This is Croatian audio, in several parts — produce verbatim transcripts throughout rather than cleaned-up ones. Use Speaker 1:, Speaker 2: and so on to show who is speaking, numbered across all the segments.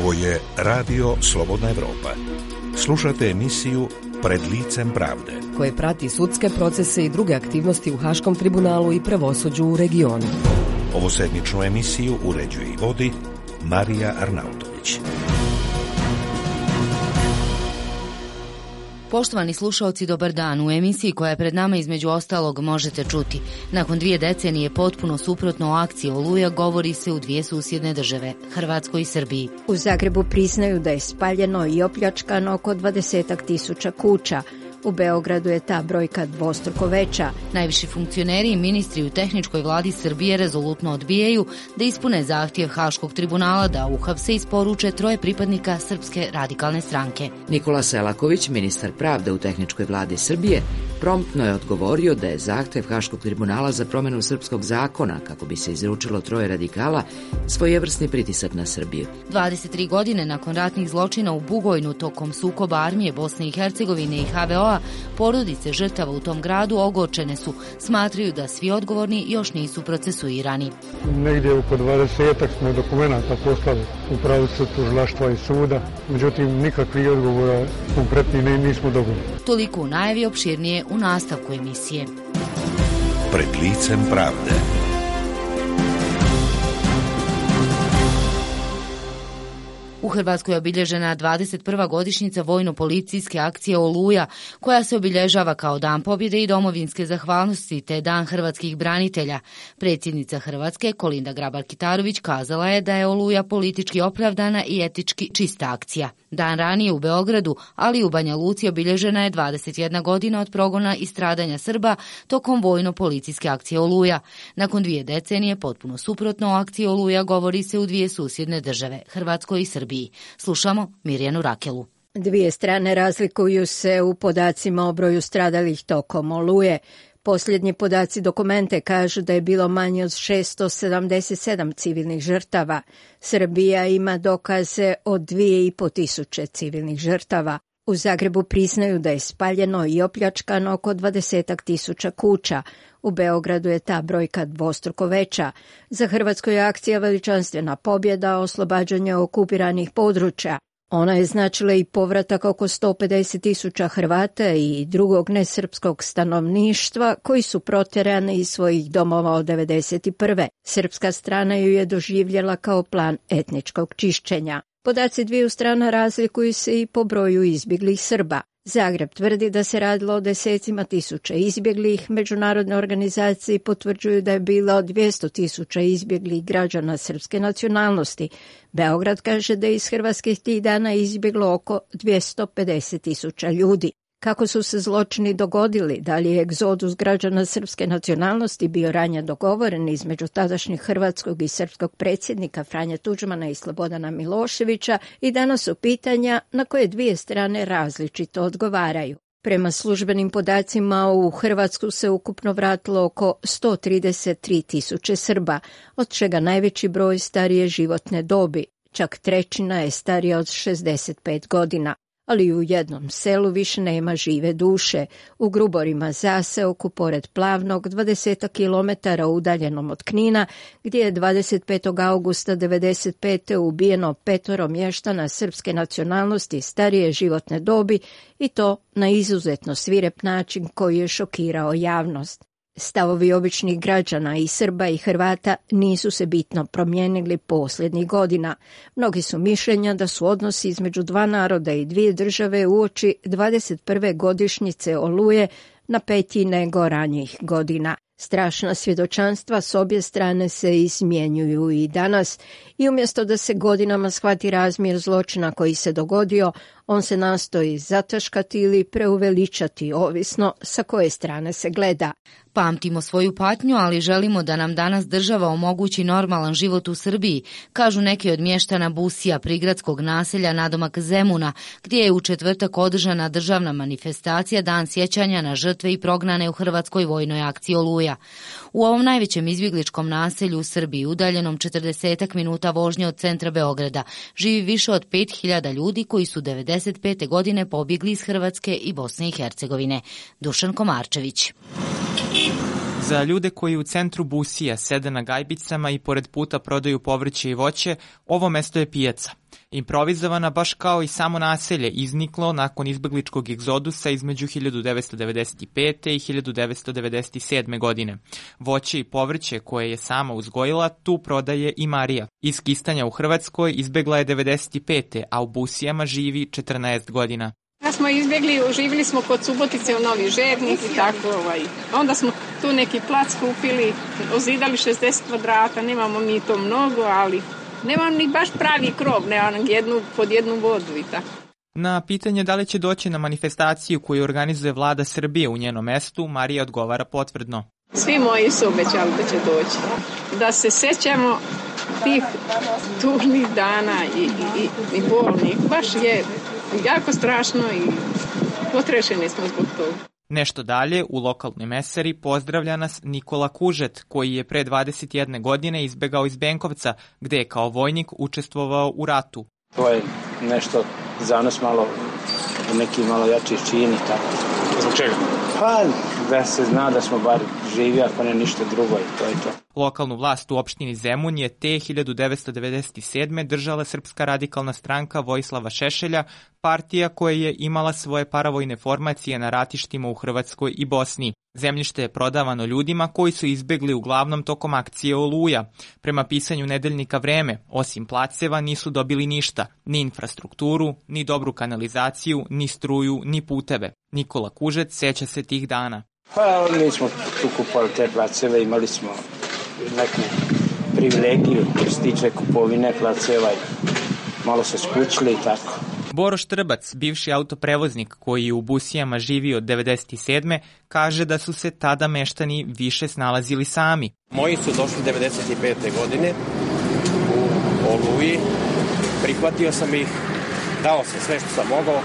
Speaker 1: Ovo je Radio Slobodna Evropa. Slušate emisiju Pred licem pravde,
Speaker 2: koje prati sudske procese i druge aktivnosti u Haškom tribunalu i pravosuđu u regionu.
Speaker 1: Ovu sedmičnu emisiju uređuje i vodi Marija Arnautović.
Speaker 3: Poštovani slušaoci, dobar dan. U emisiji koja je pred nama između ostalog možete čuti. Nakon dvije decenije potpuno suprotno akciji Oluja govori se u dvije susjedne države, Hrvatskoj i Srbiji.
Speaker 4: U Zagrebu priznaju da je spaljeno i opljačkano oko dvadesetak tisuća kuća. U Beogradu je ta brojka dvostruko veća.
Speaker 3: Najviši funkcioneri i ministri u tehničkoj vladi Srbije rezolutno odbijaju da ispune zahtjev Haškog tribunala da uhapse i isporuče troje pripadnika Srpske radikalne stranke.
Speaker 5: Nikola Selaković, ministar pravde u tehničkoj vladi Srbije, promptno je odgovorio da je zahtjev Haškog tribunala za promjenu srpskog zakona kako bi se izručilo troje radikala svojevrsni pritisak na Srbiju.
Speaker 3: dvadeset tri godine nakon ratnih zločina u Bugojnu tokom sukoba armije Bosne i Hercegovine i ha ve o a, porodice žrtava u tom gradu ogorčene su, smatraju da svi odgovorni još nisu procesuirani.
Speaker 6: Negdje oko dvadesetak smo dokumenta poslali u pravosuđu tužilaštva i suda, međutim nikakvih odgovora konkretni nismo dobili.
Speaker 3: Toliko u najavi, opširnije u nastavku emisije.
Speaker 1: Pred licem pravde.
Speaker 3: U Hrvatskoj je obilježena dvadeset prva godišnjica vojno-policijske akcije Oluja, koja se obilježava kao Dan pobjede i domovinske zahvalnosti te Dan hrvatskih branitelja. Predsjednica Hrvatske, Kolinda Grabar-Kitarović, kazala je da je Oluja politički opravdana i etički čista akcija. Dan ranije u Beogradu, ali i u Banja Luci obilježena je dvadeset jedna godina od progona i stradanja Srba tokom vojno-policijske akcije Oluja. Nakon dvije decenije, potpuno suprotno o akciji Oluja govori se u dvije susjedne države, Hrvatskoj i Srbiji. Slušamo Mirjanu Rakelu.
Speaker 4: Dvije strane razlikuju se u podacima o broju stradalih tokom Oluje. Posljednji podaci dokumente kažu da je bilo manje od šesto sedamdeset sedam civilnih žrtava. Srbija ima dokaze od dvije i po tisuće civilnih žrtava. U Zagrebu priznaju da je spaljeno i opljačkano oko dvadesetak tisuća kuća. U Beogradu je ta brojka dvostruko veća. Za Hrvatsku je akcija veličanstvena pobjeda, oslobađanje okupiranih područja. Ona je značila i povratak oko sto pedeset tisuća Hrvata i drugog nesrpskog stanovništva koji su protjerani iz svojih domova od devedeset prve. Srpska strana ju je doživjela kao plan etničkog čišćenja. Podaci dviju strana razlikuju se i po broju izbjeglih Srba. Zagreb tvrdi da se radilo o desecima tisuća izbjeglih, međunarodne organizacije potvrđuju da je bilo dvjesto tisuća izbjeglih građana srpske nacionalnosti. Beograd kaže da je iz Hrvatske tih dana izbjeglo oko dvjesto pedeset tisuća ljudi. Kako su se zločini dogodili, da li je egzodus građana srpske nacionalnosti bio ranije dogovoren između tadašnjeg hrvatskog i srpskog predsjednika Franje Tuđmana i Slobodana Miloševića, i danas su pitanja na koje dvije strane različito odgovaraju. Prema službenim podacima u Hrvatsku se ukupno vratilo oko sto trideset tri tisuće Srba, od čega najveći broj starije životne dobi, čak trećina je starija od šezdeset pet godina. Ali u jednom selu više nema žive duše. U Gruborima zaseoku pored Plavnog, dvadeset kilometara udaljenom od Knina, gdje je dvadeset petog augusta devedeset pete ubijeno petoro mještana srpske nacionalnosti starije životne dobi, i to na izuzetno svirep način koji je šokirao javnost. Stavovi običnih građana i Srba i Hrvata nisu se bitno promijenili posljednjih godina. Mnogi su mišljenja da su odnosi između dva naroda i dvije države uoči dvadeset prve godišnjice Oluje napetiji nego ranijih godina. Strašna svjedočanstva s obje strane se izmjenjuju i danas, i umjesto da se godinama shvati razmjer zločina koji se dogodio, on se nastoji zataškati ili preuveličati, ovisno sa koje strane se gleda.
Speaker 3: Pamtimo svoju patnju, ali želimo da nam danas država omogući normalan život u Srbiji, kažu neki od mještana Busija, prigradskog naselja nadomak Zemuna, gdje je u četvrtak održana državna manifestacija Dan sjećanja na žrtve i prognane u Hrvatskoj vojnoj akciji Oluja. U ovom najvećem izbjegličkom naselju u Srbiji, udaljenom četrdeset minuta vožnje od centra Beograda, živi više od pet hiljada ljudi koji su devedeset pete godine pobjegli iz Hrvatske i Bosne i Hercegovine. Dušan Komarčević.
Speaker 7: Za ljude koji u centru Busija sede na gajbicama i pored puta prodaju povrće i voće, ovo mesto je pijaca. Improvizovana baš kao i samo naselje, izniklo nakon izbegličkog egzodusa između hiljadu devetsto devedeset pete. i hiljadu devetsto devedeset sedme. godine. Voće i povrće koje je sama uzgojila tu prodaje i Marija. Iz Kistanja u Hrvatskoj izbegla je devedeset pete. a u Busijama živi četrnaest godina.
Speaker 8: Ja smo izbjegli, živjeli smo kod Subotice u Novi Žernik i tako. Ovaj. Onda smo tu neki plac kupili, ozidali šezdeset kvadrata, nemamo mi to mnogo, ali nemam ni baš pravi krov, nemam jednu, pod jednu vodu i tako.
Speaker 7: Na pitanje da li će doći na manifestaciju koju organizuje vlada Srbije u njenom mestu, Marija odgovara potvrdno.
Speaker 8: Svi moji su obećali da će doći. Da se sećamo tih tužnih dana i, i, i bolnih. Baš je jako strašno i potrešeni smo zbog toga.
Speaker 7: Nešto dalje, u lokalnoj mesari pozdravlja nas Nikola Kužet, koji je pre dvadeset jedne godine izbegao iz Benkovca, gde je kao vojnik učestvovao u ratu.
Speaker 9: To je nešto za nas malo, neki malo jači čini. Tako.
Speaker 10: Zbog čega?
Speaker 9: Pa da se zna da smo bar živi, ako ne ništa drugo i to je to.
Speaker 7: Lokalnu vlast u opštini Zemun je te hiljadu devetsto devedeset sedme. držala Srpska radikalna stranka Vojislava Šešelja, partija koja je imala svoje paravojne formacije na ratištima u Hrvatskoj i Bosni. Zemljište je prodavano ljudima koji su izbegli uglavnom tokom akcije Oluja. Prema pisanju nedeljnika Vreme, osim placeva nisu dobili ništa, ni infrastrukturu, ni dobru kanalizaciju, ni struju, ni puteve. Nikola Kužet seća se tih dana.
Speaker 9: Pa mi smo tu kupovali te placeve, imali smo neku privilegiju što se tiče kupovine placeva, malo se skućili i tako.
Speaker 7: Boroš Trbac, bivši autoprevoznik koji je u Busijama živio od devedeset sedme. kaže da su se tada meštani više snalazili sami.
Speaker 10: Moji su došli devedeset pete. godine u Oluji, prihvatio sam ih, dao sam sve što sam mogao.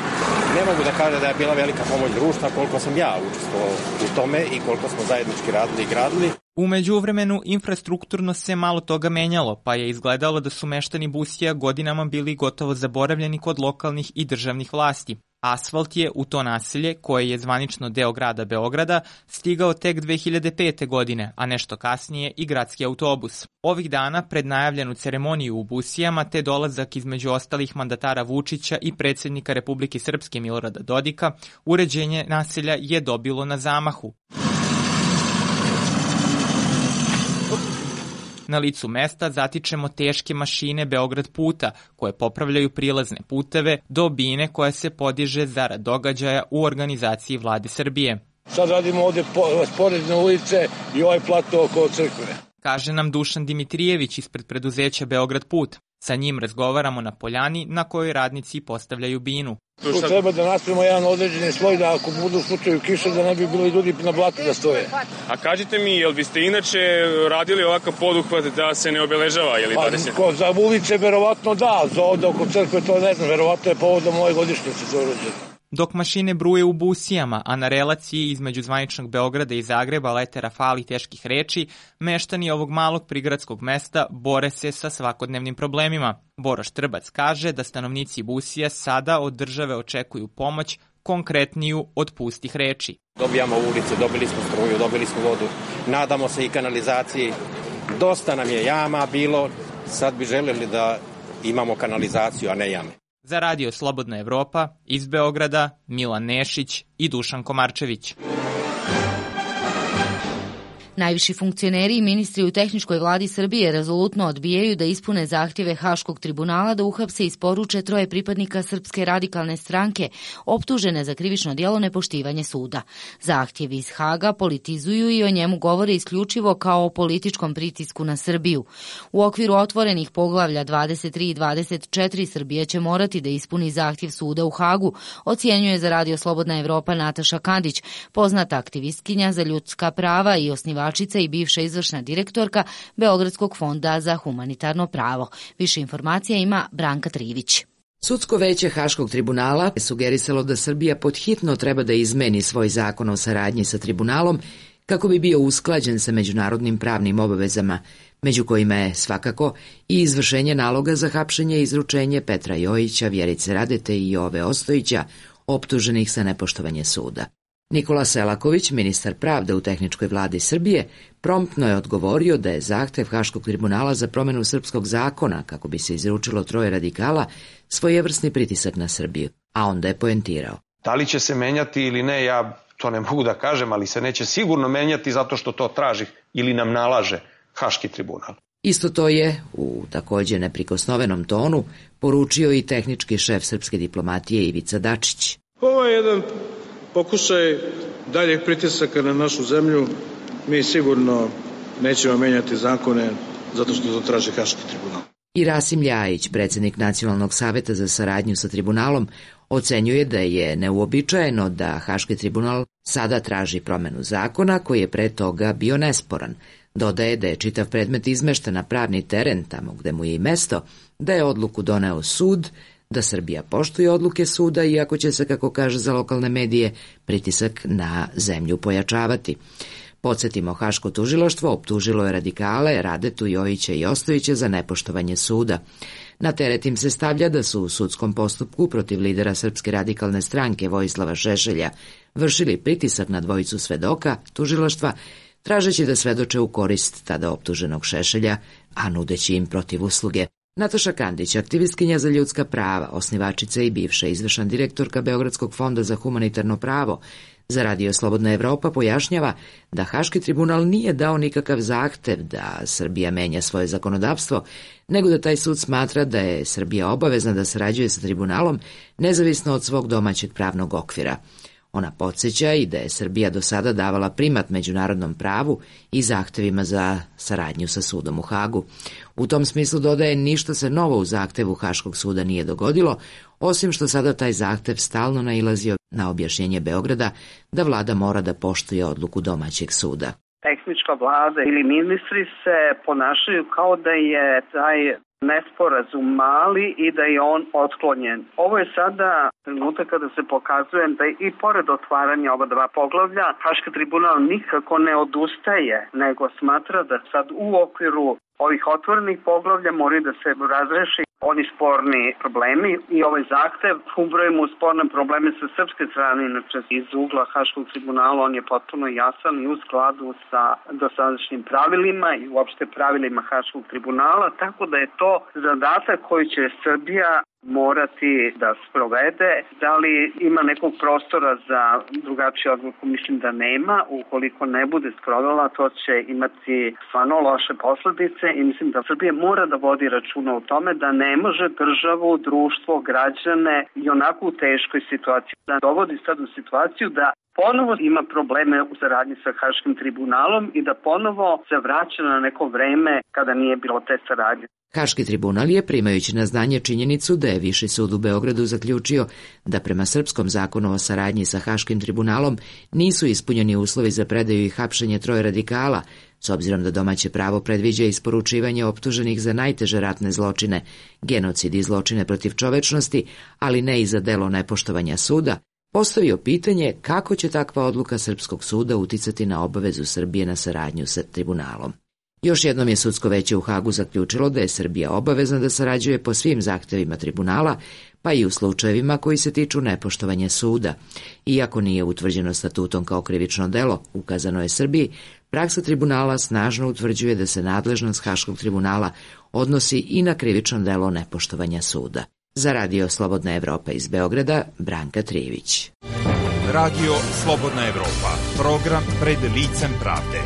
Speaker 10: Ne mogu da kažem da je bila velika pomoć društva koliko sam ja učestvovao u tome i koliko smo zajednički radili i gradili.
Speaker 7: U međuvremenu infrastrukturno se malo toga menjalo, pa je izgledalo da su meštani Busija godinama bili gotovo zaboravljeni kod lokalnih i državnih vlasti. Asfalt je u to naselje, koje je zvanično deo grada Beograda, stigao tek dve hiljade pete. godine, a nešto kasnije i gradski autobus. Ovih dana, pred najavljenu ceremoniju u Busijama, te dolazak između ostalih mandatara Vučića i predsjednika Republike Srpske Milorada Dodika, uređenje naselja je dobilo na zamahu. Na licu mesta zatičemo teške mašine Beograd puta, koje popravljaju prilazne puteve do bine koja se podiže zarad događaja u organizaciji vlade Srbije.
Speaker 11: Sad radimo ovde sporedne ulice i ovaj plato oko crkve.
Speaker 7: Kaže nam Dušan Dimitrijević ispred preduzeća Beograd put. Sa njim razgovaramo na poljani na kojoj radnici postavljaju binu.
Speaker 11: Tu treba da napravimo jedan određeni sloj da ako budu u slučaju kiše da ne bi bilo ljudi na blatu da stoje.
Speaker 10: A kažite mi, jel biste inače radili ovakav poduhvat da se ne obeležava? Je li dvadeset?
Speaker 11: Pa, za ulice verovatno da, za ovde oko crkve to ne znam, verovatno je povodom moje godišnjice za urođenje.
Speaker 7: Dok mašine bruje u Busijama, a na relaciji između zvaničnog Beograda i Zagreba lete rafali teških reči, meštani ovog malog prigradskog mesta bore se sa svakodnevnim problemima. Boroš Trbac kaže da stanovnici Busija sada od države očekuju pomoć konkretniju od pustih reči.
Speaker 10: Dobijamo ulice, dobili smo struju, dobili smo vodu, nadamo se i kanalizaciji. Dosta nam je jama bilo, sad bi želeli da imamo kanalizaciju, a ne jame.
Speaker 7: Za radio Slobodna Evropa, iz Beograda, Milan Nešić i Dušan Komarčević.
Speaker 3: Najviši funkcioneri i ministri u tehničkoj vladi Srbije rezolutno odbijaju da ispune zahtjeve Haškog tribunala da uhapse i isporuče troje pripadnika Srpske radikalne stranke optužene za krivično djelo nepoštivanje suda. Zahtjevi iz Haga politizuju i o njemu govore isključivo kao o političkom pritisku na Srbiju. U okviru otvorenih poglavlja dvadeset tri i dvadeset četiri Srbija će morati da ispuni zahtjev suda u Hagu, ocjenjuje za radio Slobodna Evropa Nataša Kandić, poznata aktivistkinja za ljudska prava i osnivačica i bivša izvršna direktorka Beogradskog fonda za humanitarno pravo. Više informacija ima Branka Trivić.
Speaker 5: Sudsko veće Haškog tribunala je sugerisalo da Srbija podhitno treba da izmeni svoj zakon o saradnji sa tribunalom kako bi bio usklađen sa međunarodnim pravnim obavezama, među kojima je svakako i izvršenje naloga za hapšenje i izručenje Petra Jojića, Vjerice Radete i Jove Ostojića, optuženih za nepoštovanje suda. Nikola Selaković, ministar pravde u tehničkoj vladi Srbije, promptno je odgovorio da je zahtev Haškog tribunala za promenu srpskog zakona, kako bi se izručilo troje radikala, svojevrsni pritisak na Srbiju, a onda je poentirao.
Speaker 12: Da li će se menjati ili ne, ja to ne mogu da kažem, ali se neće sigurno menjati zato što to traži ili nam nalaže Haški tribunal.
Speaker 5: Isto to je, u takođe neprikosnovenom tonu, poručio i tehnički šef srpske diplomatije Ivica Dačić.
Speaker 13: Ovo je jedan pokušaj daljeg pritisaka na našu zemlju. Mi sigurno nećemo menjati zakone zato što to traži Haški tribunal.
Speaker 5: I Rasim Ljajić, predsjednik Nacionalnog saveta za saradnju sa tribunalom, ocenjuje da je neuobičajeno da Haški tribunal sada traži promenu zakona koji je pre toga bio nesporan. Dodaje da je čitav predmet izmešten na pravni teren, tamo gde mu je i mesto, da je odluku doneo sud, da Srbija poštuje odluke suda, iako će se, kako kaže za lokalne medije, pritisak na zemlju pojačavati. Podsjetimo, Haško tužilaštvo optužilo je radikale Radetu, Jojića i Ostojića za nepoštovanje suda. Na teret im se stavlja da su u sudskom postupku protiv lidera Srpske radikalne stranke Vojislava Šešelja vršili pritisak na dvojicu svedoka tužilaštva, tražeći da svedoče u korist tada optuženog Šešelja, a nudeći im protiv usluge. Nataša Kandić, aktivistkinja za ljudska prava, osnivačica i bivša izvršna direktorka Beogradskog fonda za humanitarno pravo, za Radio Slobodna Evropa pojašnjava da Haški tribunal nije dao nikakav zahtev da Srbija menja svoje zakonodavstvo, nego da taj sud smatra da je Srbija obavezna da sarađuje sa tribunalom nezavisno od svog domaćeg pravnog okvira. Ona podsjeća i da je Srbija do sada davala primat međunarodnom pravu i zahtevima za saradnju sa sudom u Hagu. U tom smislu dodaje, ništa se novo u zahtevu Haškog suda nije dogodilo, osim što sada taj zahtev stalno nailazio na objašnjenje Beograda da vlada mora da poštuje odluku domaćeg suda.
Speaker 14: Tehnička vlada ili ministri se ponašaju kao da je taj nesporazum mali i da je on otklonjen. Ovo je sada trenutak kada se pokazuje da i pored otvaranja ova dva poglavlja, Haški tribunal nikako ne odustaje, nego smatra da sad u okviru ovih otvorenih poglavlja moraju da se razreši oni sporni problemi i ovaj zahtev ubrojimo u sporne probleme sa srpske strane, inače iz ugla Haškog tribunala on je potpuno jasan i u skladu sa dosadašnjim pravilima i uopšte pravilima Haškog tribunala, tako da je to zadatak koji će Srbija morati da sprovede. Da li ima nekog prostora za drugačiju odluku? Mislim da nema. Ukoliko ne bude sprovela, to će imati stvarno loše posledice i mislim da Srbija mora da vodi računa o tome da ne može državu, društvo, građane i onako u teškoj situaciji da dovodi sad u situaciju da ponovo ima probleme u saradnji sa Haškim tribunalom i da ponovo se vraća na neko vreme kada nije bilo te saradnje.
Speaker 5: Haški tribunal je, primajući na znanje činjenicu da je Viši sud u Beogradu zaključio da prema srpskom zakonu o saradnji sa Haškim tribunalom nisu ispunjeni uslovi za predaju i hapšenje troje radikala, s obzirom da domaće pravo predviđa isporučivanje optuženih za najteže ratne zločine, genocid i zločine protiv čovečnosti, ali ne i za delo nepoštovanja suda, postavio pitanje kako će takva odluka srpskog suda uticati na obavezu Srbije na saradnju sa tribunalom. Još jednom je sudsko veće u Hagu zaključilo da je Srbija obavezna da sarađuje po svim zahtevima tribunala, pa i u slučajevima koji se tiču nepoštovanja suda. Iako nije utvrđeno statutom kao krivično delo, ukazano je Srbiji, praksa tribunala snažno utvrđuje da se nadležnost Haškog tribunala odnosi i na krivično delo nepoštovanja suda. Za Radio Slobodna Evropa iz Beograda, Branka Trijević.
Speaker 1: Radio Slobodna Evropa, program pred licem pravde.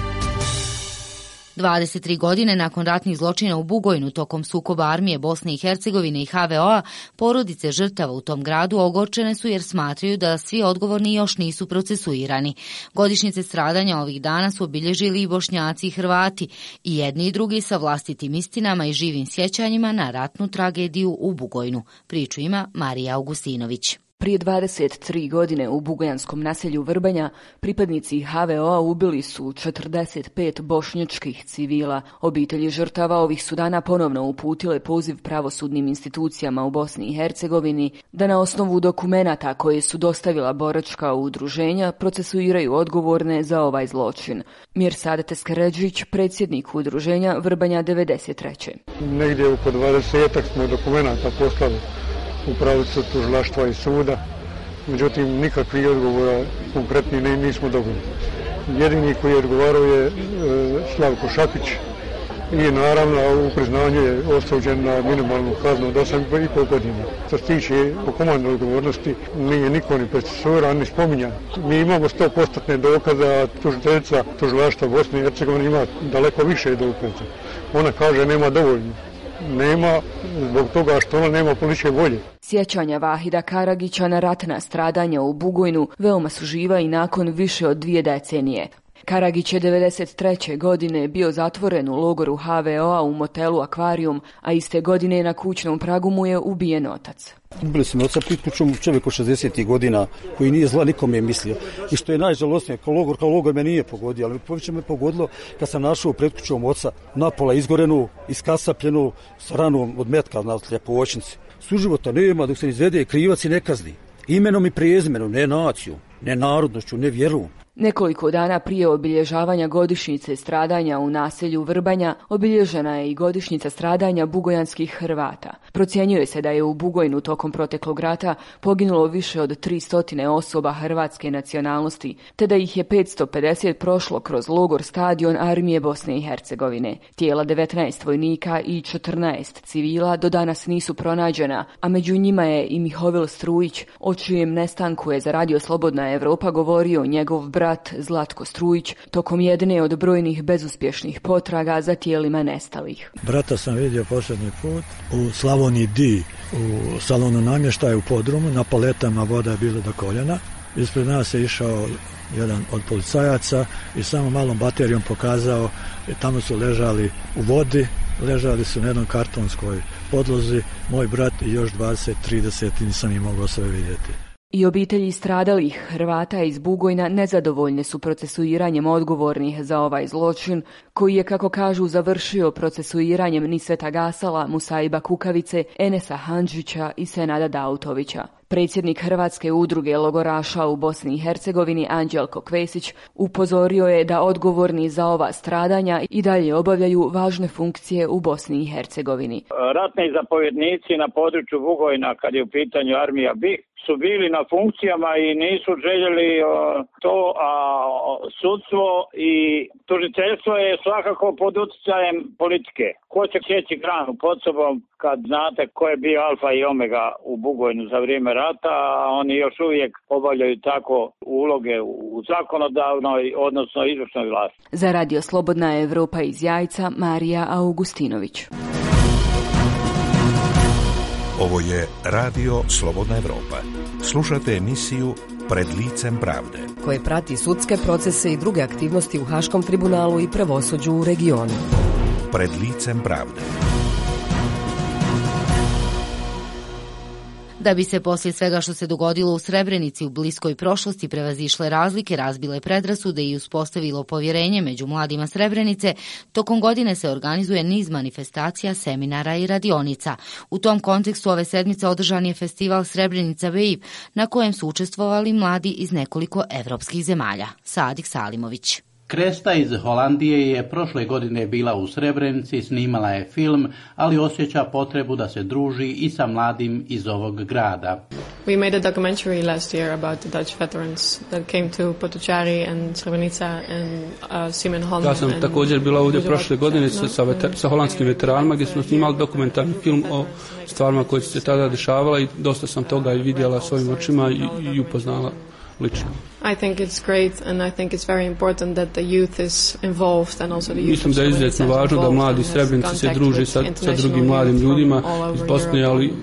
Speaker 3: dvadeset tri godine nakon ratnih zločina u Bugojnu tokom sukoba armije Bosne i Hercegovine i ha ve o-a, porodice žrtava u tom gradu ogorčene su jer smatraju da svi odgovorni još nisu procesuirani. Godišnjice stradanja ovih dana su obilježili i Bošnjaci i Hrvati, i jedni i drugi sa vlastitim istinama i živim sjećanjima na ratnu tragediju u Bugojnu. Priču ima Marija Augustinović.
Speaker 15: Prije dvadeset tri godine u bugojanskom naselju Vrbanja pripadnici ha ve o-a ubili su četrdeset pet bošnjačkih civila. Obitelji žrtava ovih su dana ponovno uputile poziv pravosudnim institucijama u Bosni i Hercegovini da na osnovu dokumenata koje su dostavila boračka udruženja procesuiraju odgovorne za ovaj zločin. Mirsad Teskeređić, predsjednik udruženja Vrbanja devedeset treće.
Speaker 6: Negdje oko dvadesetak smo dokumenata poslali u pravcu tužilaštva i suda međutim nikakvi odgovora konkretni ne, nismo dobili. Jedini koji je odgovarao je e, Slavko Šapić i naravno u priznanju je osuđen na minimalnu kaznu od osam i pol godina. Što se tiče po komandnoj odgovornosti nije niko ni procesuiran ni spominjan. Mi imamo sto posto dokaza, tužiteljica tužilaštva Bosne i Hercegovine ima daleko više dokaza. Ona kaže nema dovoljno. Nema zbog toga što ona nema političke volje.
Speaker 15: Sjećanja Vahida Karagića na ratna stradanja u Bugojnu veoma su živa i nakon više od dvije decenije. Karagić je devedeset treće godine bio zatvoren u logoru ha ve o a u motelu Akvarijum, a iste godine na kućnom pragu mu je ubijen otac.
Speaker 16: Ubili smo oca priključom čovjek od šezdesetih godina koji nije zla nikome mislio. I što je najžalosnije, kao logor, kao logor me nije pogodio, ali poviće me pogodilo kad sam našao pred kućom oca napola izgorenu, iskasapljenu s ranom od metka na Ljepovoćnici. Suživota nema dok se ne izvede krivac i ne kazni. Imenom i prezimenom, ne naciju, ne narodnošću, ne vjeru.
Speaker 15: Nekoliko dana prije obilježavanja godišnjice stradanja u naselju Vrbanja obilježena je i godišnjica stradanja bugojanskih Hrvata. Procjenjuje se da je u Bugojnu tokom proteklog rata poginulo više od tristo osoba hrvatske nacionalnosti, te da ih je petsto pedeset prošlo kroz logor stadion Armije Bosne i Hercegovine. Tijela devetnaest vojnika i četrnaest civila do danas nisu pronađena, a među njima je i Mihovil Strujić, o čijem nestanku je za Radio Slobodna Evropa govorio njegov brat Zlatko Strujić tokom jedne od brojnih bezuspješnih potraga za tijelima nestalih.
Speaker 17: Brata sam vidio posljednji put u Slavoniji D, u salonu namještaja u podrumu, na paletama voda je bila do koljena. Ispred nas je išao jedan od policajaca i samo malom baterijom pokazao, tamo su ležali u vodi, ležali su na jednom kartonskoj podlozi, moj brat i još dvadeset trideset, nisam ih mogao sve vidjeti.
Speaker 15: I obitelji stradalih Hrvata iz Bugojna nezadovoljne su procesuiranjem odgovornih za ovaj zločin, koji je, kako kažu, završio procesuiranjem Nisveta Gasala, Musaiba Kukavice, Enesa Handžića i Senada Dautovića. Predsjednik Hrvatske udruge logoraša u Bosni i Hercegovini Anđelko Kvesić upozorio je da odgovorni za ova stradanja i dalje obavljaju važne funkcije u Bosni i Hercegovini.
Speaker 18: Ratni zapovjednici na području Bugojna, kad je u pitanju armija B I H, su bili na funkcijama i nisu željeli o, to, a sudstvo i tužiteljstvo je svakako pod utjecajem politike. Ko će sjeći granu pod sobom kad znate ko je bio alfa i omega u Bugojnu za vrijeme rata, a oni još uvijek obavljaju tako uloge u zakonodavnoj, odnosno izvršnoj vlasti.
Speaker 15: Za Radio Slobodna Evropa iz Jajca, Marija Augustinović.
Speaker 1: Ovo je Radio Slobodna Evropa. Slušate emisiju Pred licem pravde,
Speaker 2: koje prati sudske procese i druge aktivnosti u Haškom tribunalu i pravosuđu u regionu.
Speaker 1: Pred licem pravde.
Speaker 3: Da bi se poslije svega što se dogodilo u Srebrenici u bliskoj prošlosti prevazišle razlike, razbile predrasude i uspostavilo povjerenje među mladima Srebrenice, tokom godine se organizuje niz manifestacija, seminara i radionica. U tom kontekstu ove sedmice održan je festival Srebrenica Wave, na kojem su učestvovali mladi iz nekoliko evropskih zemalja. Sadik Salimović.
Speaker 19: Kresta iz Holandije je prošle godine bila u Srebrenici, snimala je film, ali osjeća potrebu da se druži i sa mladim iz ovog grada.
Speaker 20: We made a documentary last year about the Dutch veterans that came to Potocari and Srebrenica and uh, Simenholm.
Speaker 21: Ja sam također bila ovdje prošle godine sa, sa, veter, sa holandskim veteranima gdje smo snimali dokumentarni film o stvarima koje su se tada dešavala i dosta sam toga i vidjela svojim očima i, i upoznala lično.
Speaker 20: I think it's great and I think it's very important that the youth is involved and also the youth.
Speaker 21: Mislim da je izuzetno važno da mladi Srebrenici se druže sa, sa drugim mladim ljudima iz Bosne, ali,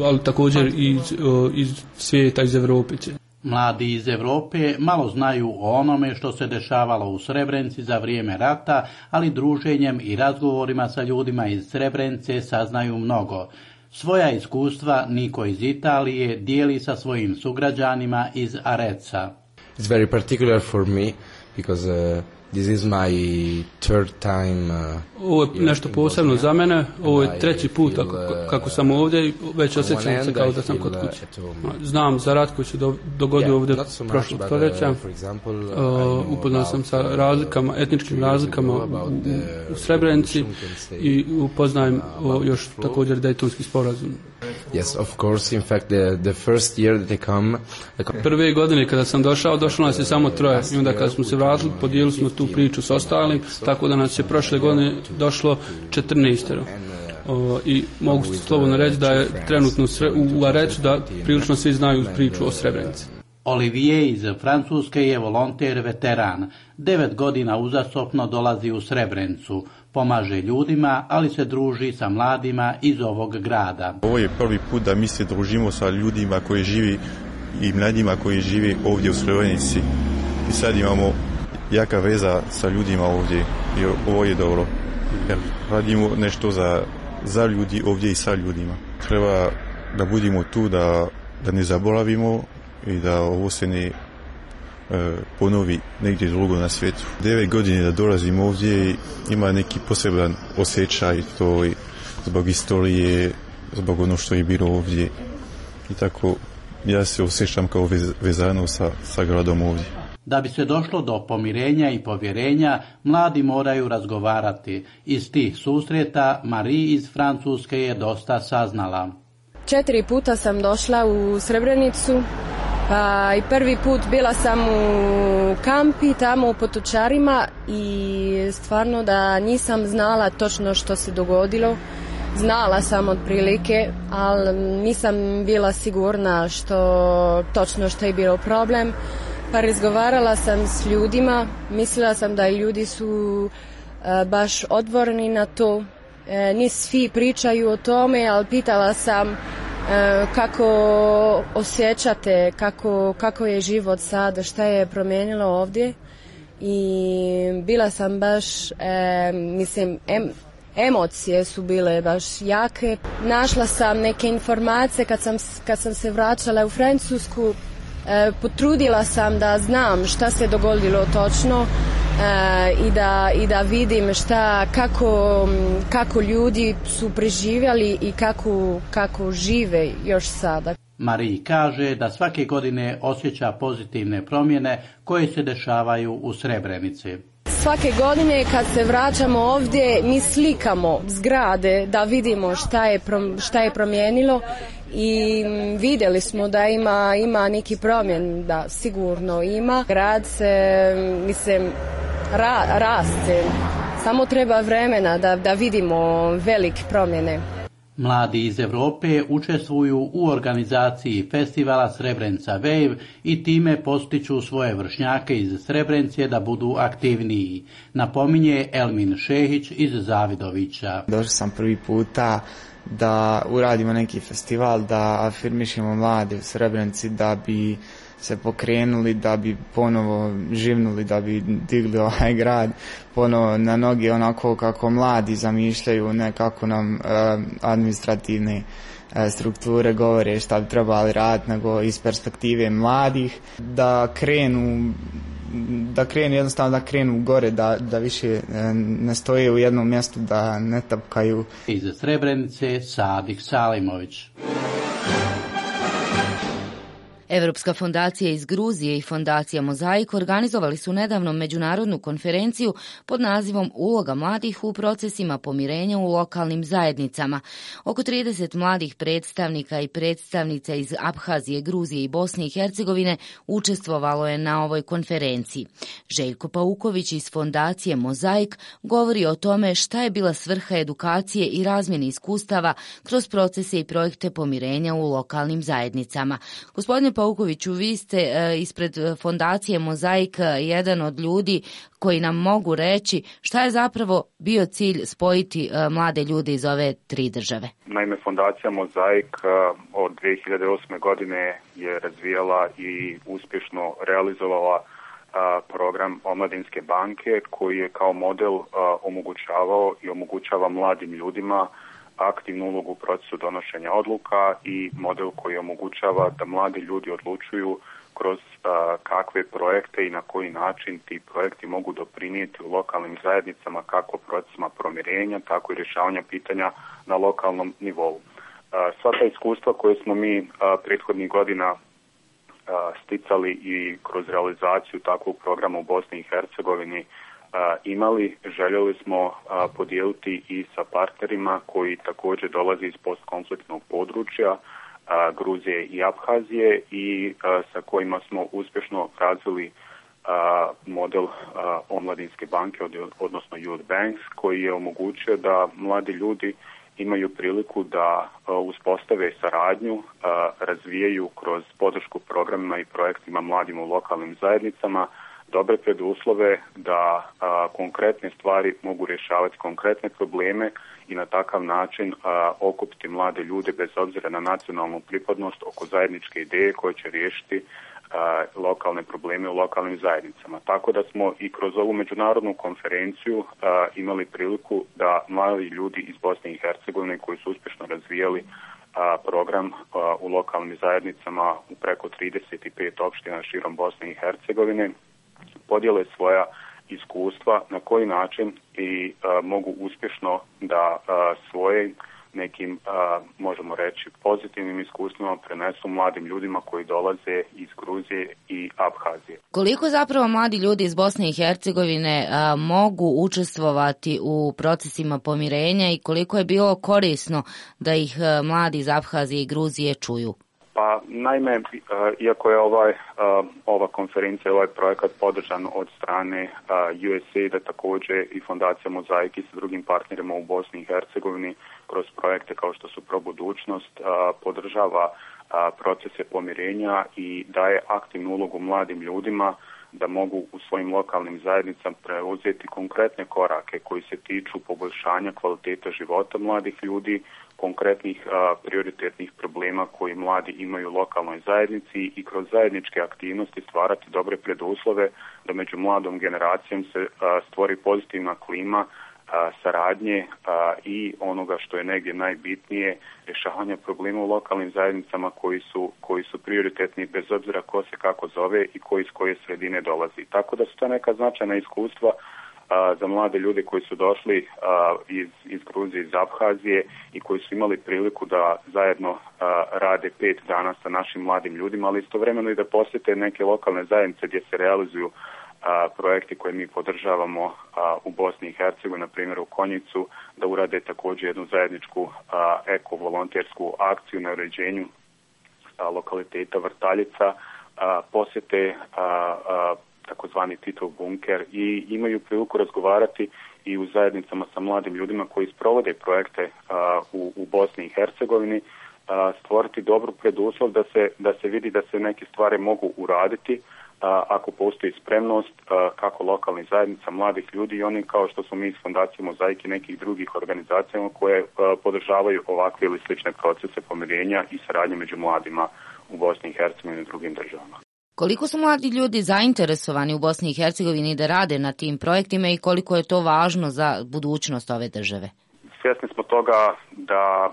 Speaker 21: ali također i iz, iz svijeta, iz Evrope.
Speaker 19: Mladi iz Evrope malo znaju o onome što se dešavalo u Srebrenici za vrijeme rata, ali druženjem i razgovorima sa ljudima iz Srebrenice saznaju mnogo. Svoja iskustva Niko iz Italije dijeli sa svojim sugrađanima iz Areca.
Speaker 22: It's very particular for me because uh, this is my third time. Uh,
Speaker 21: Ovo je nešto posebno za mene. Ovo je treći put kako, kako sam ovdje i već osjećam se kao da sam kod kuće. Znam za rat koji se do, dogodio ovdje prošlog stoljeća. Uh, upoznao sam sa razlikama, etničkim razlikama u, u Srebrenici i upoznajem uh, još također Dejtonski sporazum.
Speaker 22: Yes, of course. In fact, the the first year that they come, the...
Speaker 21: Prve godine kada sam došao, došlo nas je samo troje. I onda kada smo se vratili, podijelili smo tu priču s ostalim, tako da nas je prošle godine došlo četrnaestero. O, I mogu slobodno reći da je trenutno u Areću da prilično svi znaju priču o Srebrenici.
Speaker 19: Olivier iz Francuske je volonter veteran. Devet godina uzastopno dolazi u Srebrenicu. Pomaže ljudima, ali se druži sa mladima iz ovog grada.
Speaker 4: Ovo je prvi put da mi se družimo sa ljudima koji živi i mladima koji živi ovdje u Srebrenici. I sad imamo jaka veza sa ljudima ovdje i ovo je dobro. Jer radimo nešto za, za ljudi ovdje i sa ljudima. Treba da budemo tu, da, da ne zaboravimo i da ovo se ne e, ponovi negdje drugo na svijetu. Devet godine da dolazim ovdje ima neki poseban osjećaj, to i zbog istorije, zbog ono što je bilo ovdje. I tako ja se osjećam kao vez, vezano sa, sa gradom ovdje.
Speaker 19: Da bi se došlo do pomirenja i povjerenja, mladi moraju razgovarati. Iz tih susreta Marie iz Francuske je dosta saznala.
Speaker 8: Četiri puta sam došla u Srebrenicu. Pa i prvi put bila sam u kampi tamo u Potočarima i stvarno da nisam znala točno što se dogodilo. Znala sam otprilike, ali nisam bila sigurna što točno što je bilo problem. Pa razgovarala sam s ljudima, mislila sam da ljudi su e, baš otvoreni na to. E, ni svi pričaju o tome, ali pitala sam kako osjećate, kako, kako je život sad, šta je promijenilo ovdje i bila sam baš, e, mislim, em, emocije su bile baš jake. Našla sam neke informacije kad sam, kad sam se vraćala u Francusku, e, potrudila sam da znam šta se dogodilo točno. Uh, i, da, i da vidim šta, kako, kako ljudi su preživjeli i kako, kako žive još sada.
Speaker 19: Marie kaže da svake godine osjeća pozitivne promjene koje se dešavaju u Srebrenici.
Speaker 8: Svake godine kad se vraćamo ovdje mi slikamo zgrade da vidimo šta je, šta je promijenilo i vidjeli smo da ima, ima neki promjen, da sigurno ima. Grad se, mislim, ra, raste, samo treba vremena da, da vidimo velike promjene.
Speaker 19: Mladi iz Europe učestvuju u organizaciji festivala Srebrenica Wave i time postiču svoje vršnjake iz Srebrenice da budu aktivniji. Napominje Elmin Šehić iz Zavidovića.
Speaker 23: Došao sam prvi puta da uradimo neki festival, da afirmišemo mlade u Srebrenici, da bi se pokrenuli, da bi ponovo živnuli, da bi digli ovaj grad ponovo na noge onako kako mladi zamišljaju, ne kako nam uh, administrativne uh, strukture govore šta bi trebali raditi, nego iz perspektive mladih, da krenu da krenu jednostavno da krenu gore, da, da više uh, ne stoje u jednom mjestu, da ne tapkaju.
Speaker 19: Iz Srebrenice Sadik Salimović.
Speaker 3: Evropska fondacija iz Gruzije i fondacija Mozaik organizovali su nedavno međunarodnu konferenciju pod nazivom Uloga mladih u procesima pomirenja u lokalnim zajednicama. Oko trideset mladih predstavnika i predstavnica iz Abhazije, Gruzije i Bosne i Hercegovine učestvovalo je na ovoj konferenciji. Željko Pauković iz fondacije Mozaik govori o tome šta je bila svrha edukacije i razmjene iskustava kroz procese i projekte pomirenja u lokalnim zajednicama. Gospodine Paukoviću, vi ste e, ispred fondacije Mozaik jedan od ljudi koji nam mogu reći šta je zapravo bio cilj spojiti e, mlade ljude iz ove tri države.
Speaker 24: Naime, fondacija Mozaik od dvije hiljade osme godine je razvijala i uspješno realizovala a, program Omladinske banke koji je kao model a, omogućavao i omogućava mladim ljudima aktivnu ulogu u procesu donošenja odluka i model koji omogućava da mladi ljudi odlučuju kroz a, kakve projekte i na koji način ti projekti mogu doprinijeti u lokalnim zajednicama kako procesima pomirenja, tako i rješavanja pitanja na lokalnom nivou. A, sva ta iskustva koje smo mi a, prethodnih godina a, sticali i kroz realizaciju takvog programa u Bosni i Hercegovini imali, željeli smo podijeliti i sa partnerima koji također dolaze iz postkonfliktnog područja Gruzije i Abhazije i sa kojima smo uspješno razvili model omladinske banke, odnosno Youth Banks, koji je omogućio da mladi ljudi imaju priliku da uspostave saradnju, razvijaju kroz podršku programima i projektima mladim u lokalnim zajednicama dobre preduslove da a, konkretne stvari mogu rješavati konkretne probleme i na takav način a, okupiti mlade ljude bez obzira na nacionalnu pripadnost oko zajedničke ideje koje će riješiti a, lokalne probleme u lokalnim zajednicama. Tako da smo i kroz ovu međunarodnu konferenciju a, imali priliku da mladi ljudi iz Bosne i Hercegovine koji su uspješno razvijali a, program a, u lokalnim zajednicama u preko trideset pet opština širom Bosne i Hercegovine podijele svoja iskustva na koji način i a, mogu uspješno da a, svoje nekim, a, možemo reći, pozitivnim iskustvima prenesu mladim ljudima koji dolaze iz Gruzije i Abhazije.
Speaker 3: Koliko zapravo mladi ljudi iz Bosne i Hercegovine a, mogu učestvovati u procesima pomirenja i koliko je bilo korisno da ih a, mladi iz Abhazije i Gruzije čuju?
Speaker 24: Pa naime, iako je ovaj, ova konferencija, ovaj projekat podržan od strane U S A I D-a, također i Fondacija Mozaiki sa drugim partnerima u Bosni i Hercegovini kroz projekte kao što su Probudućnost, podržava procese pomirenja i daje aktivnu ulogu mladim ljudima da mogu u svojim lokalnim zajednicama preuzeti konkretne korake koji se tiču poboljšanja kvaliteta života mladih ljudi, konkretnih a, prioritetnih problema koji mladi imaju u lokalnoj zajednici i kroz zajedničke aktivnosti stvarati dobre preduslove da među mladom generacijom se a, stvori pozitivna klima a, saradnje a, i onoga što je negdje najbitnije, rješavanja problema u lokalnim zajednicama koji su, koji su prioritetni bez obzira ko se kako zove i koji iz koje sredine dolazi. Tako da su to neka značajna iskustva a, za mlade ljude koji su došli a, iz, iz Gruzije, iz Abhazije i koji su imali priliku da zajedno a, rade pet dana sa našim mladim ljudima, ali istovremeno i da posjete neke lokalne zajednice gdje se realizuju a, projekti koje mi podržavamo a, u Bosni i Hercegovini, na primjer u Konjicu, da urade također jednu zajedničku a, eko-volontersku akciju na uređenju a, lokaliteta Vrtaljica, a, posjete a, a, takozvani Titov bunker i imaju priliku razgovarati i u zajednicama sa mladim ljudima koji sprovode projekte a, u, u Bosni i Hercegovini, a, stvoriti dobru preduslov da se, da se vidi da se neke stvari mogu uraditi a, ako postoji spremnost a, kako lokalnih zajednica, mladih ljudi i oni kao što smo mi iz Fondacije Mozaiki i nekih drugih organizacijama koje a, podržavaju ovakve ili slične procese pomirenja i saradnje među mladima u Bosni i Hercegovini i drugim državama.
Speaker 3: Koliko su mladi ljudi zainteresovani u Bosni i Hercegovini da rade na tim projektima i koliko je to važno za budućnost ove države?
Speaker 24: Svjesni smo toga da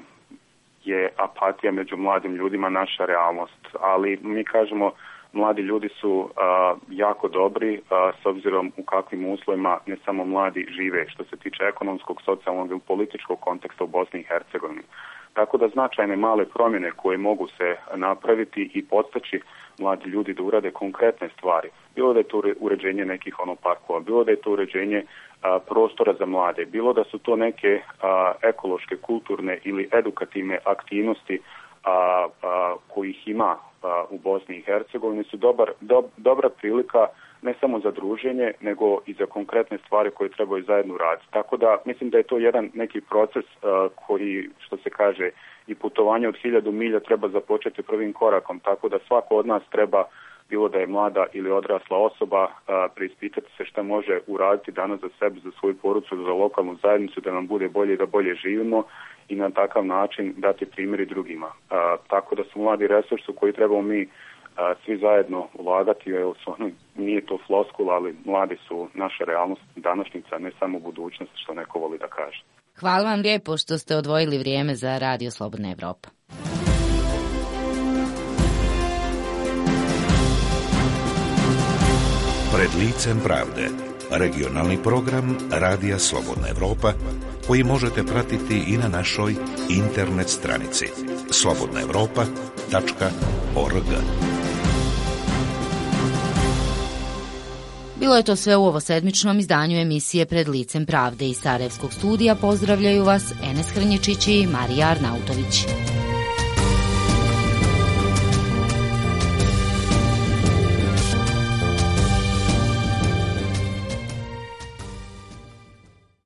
Speaker 24: je apatija među mladim ljudima naša realnost, ali mi kažemo mladi ljudi su a, jako dobri a, s obzirom u kakvim uslovima ne samo mladi žive što se tiče ekonomskog, socijalnog i političkog konteksta u Bosni i Hercegovini. Tako da značajne male promjene koje mogu se napraviti i podstaći mladi ljudi da urade konkretne stvari. Bilo da je to uređenje nekih ono parkova, bilo da je to uređenje a, prostora za mlade, bilo da su to neke a, ekološke, kulturne ili edukativne aktivnosti a, a, kojih ima a, u Bosni i Hercegovini su dobar, do, dobra prilika ne samo za druženje, nego i za konkretne stvari koje trebaju zajedno raditi. Tako da mislim da je to jedan neki proces uh, koji, što se kaže, i putovanje od hiljadu milja treba započeti prvim korakom. Tako da svako od nas treba, bilo da je mlada ili odrasla osoba, uh, preispitati se šta može uraditi danas za sebe, za svoju porucu, za lokalnu zajednicu, da nam bude bolje i da bolje živimo i na takav način dati primjeri drugima. Uh, tako da su mladi resursi koji trebamo mi a, svi zajedno ulagati, jer su ono, nije to floskula, ali mladi su naša realnost današnjica, ne samo budućnost, što neko voli da kaže.
Speaker 3: Hvala vam lijepo što ste odvojili vrijeme za Radio Slobodna Evropa.
Speaker 1: Pred licem pravde, regionalni program Radija Slobodna Evropa, koji možete pratiti i na našoj internet stranici slobodna evropa tačka org.
Speaker 3: Bilo je to sve u ovosedmičnom izdanju emisije Pred licem pravde. Iz Sarajevskog studija pozdravljaju vas Enes Hrnječić i Marija Arnautović.